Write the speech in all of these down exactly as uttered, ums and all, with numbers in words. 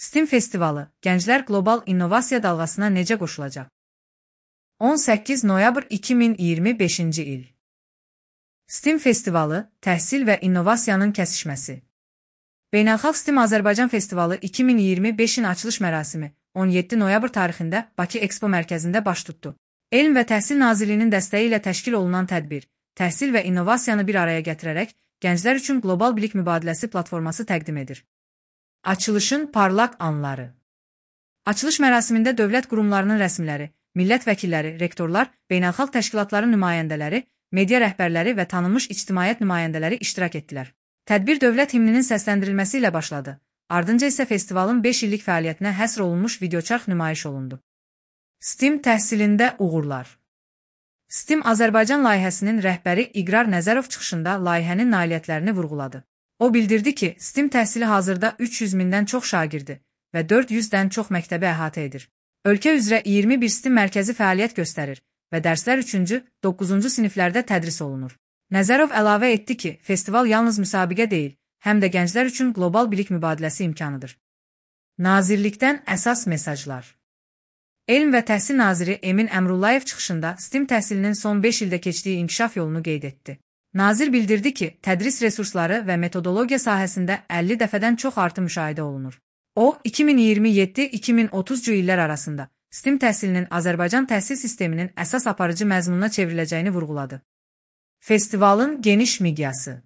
STEM festivalı, gənclər qlobal innovasiya dalğasına necə qoşulacaq? on səkkiz noyabr iki min iyirmi beşinci il. STEM festivalı, təhsil və innovasiyanın kəsişməsi. Beynəlxalq STEM Azərbaycan Festivalı iki min iyirmi beşin açılış mərasimi on yeddi noyabr tarixində Bakı Expo mərkəzində baş tutdu. Elm və Təhsil Nazirliyinin dəstəyi ilə təşkil olunan tədbir, təhsil və innovasiyanı bir araya gətirərək gənclər üçün qlobal bilik mübadiləsi platforması təqdim edir. Açılışın parlaq anları. Açılış mərasimində dövlət qurumlarının rəsmiləri, millət vəkilləri, rektorlar, beynəlxalq təşkilatların nümayəndələri, media rəhbərləri və tanınmış ictimaiyyət nümayəndələri iştirak etdilər. Tədbir dövlət himninin səsləndirilməsi ilə başladı. Ardınca isə festivalın beş illik fəaliyyətinə həsr olunmuş videoçarx nümayiş olundu. STEM təhsilində uğurlar. STEM Azərbaycan layihəsinin rəhbəri İqrar Nəzərov çıxışında layihənin nailiyyətlərini vurğuladı. O bildirdi ki, STEM təhsili hazırda üç yüz mindən çox şagirdi və dörd yüzdən çox məktəbi əhatə edir. Ölkə üzrə iyirmi bir STEM mərkəzi fəaliyyət göstərir və dərslər üçüncü doqquzuncu siniflərdə tədris olunur. Nəzərov əlavə etdi ki, festival yalnız müsabiqə deyil, həm də gənclər üçün qlobal bilik mübadiləsi imkanıdır. Nazirlikdən əsas mesajlar. Elm və Təhsil Naziri Emin Əmrullayev çıxışında STEM təhsilinin son beş ildə keçdiyi inkişaf yolunu qeyd etdi. Nazir bildirdi ki, tədris resursları və metodologiya sahəsində əlli dəfədən çox artım müşahidə olunur. O, iki min iyirmi yeddi iki min otuzcu illər arasında STEM təhsilinin Azərbaycan təhsil sisteminin əsas aparıcı məzmununa çevriləcəyini vurğuladı. Festivalın geniş miqyası.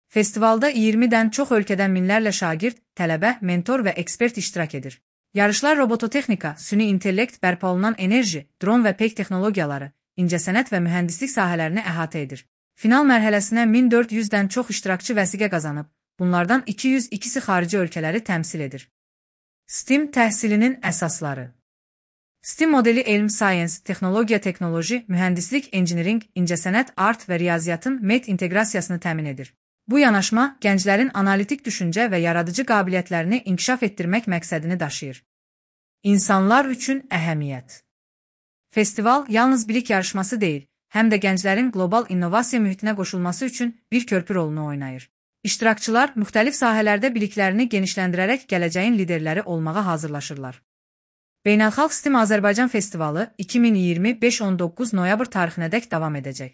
Festivalda iyirmidən çox ölkədən minlərlə şagird, tələbə, mentor və ekspert iştirak edir. Yarışlar robototexnika, süni intellekt, bərpa olunan enerji, dron və peyk texnologiyaları, incəsənət və mühəndislik sahələrini əhatə edir. Final mərhələsinə min dörd yüzdən çox iştirakçı vəsiqə qazanıb, bunlardan iki yüz ikisi xarici ölkələri təmsil edir. STEM təhsilinin əsasları. STEM modeli elm, science, texnologiya, teknoloji, mühəndislik, engineering, incəsənət, art və riyaziyyatın met inteqrasiyasını təmin edir. Bu yanaşma gənclərin analitik düşüncə və yaradıcı qabiliyyətlərini inkişaf etdirmək məqsədini daşıyır. İnsanlar üçün əhəmiyyət. Festival yalnız bilik yarışması deyil, həm də gənclərin qlobal innovasiya mühitinə qoşulması üçün bir körpü rolunu oynayır. İştirakçılar müxtəlif sahələrdə biliklərini genişləndirərək gələcəyin liderləri olmağa hazırlaşırlar. Beynəlxalq STEM Azərbaycan Festivalı iki min iyirmi beş on doqquz noyabr tarixinədək davam edəcək.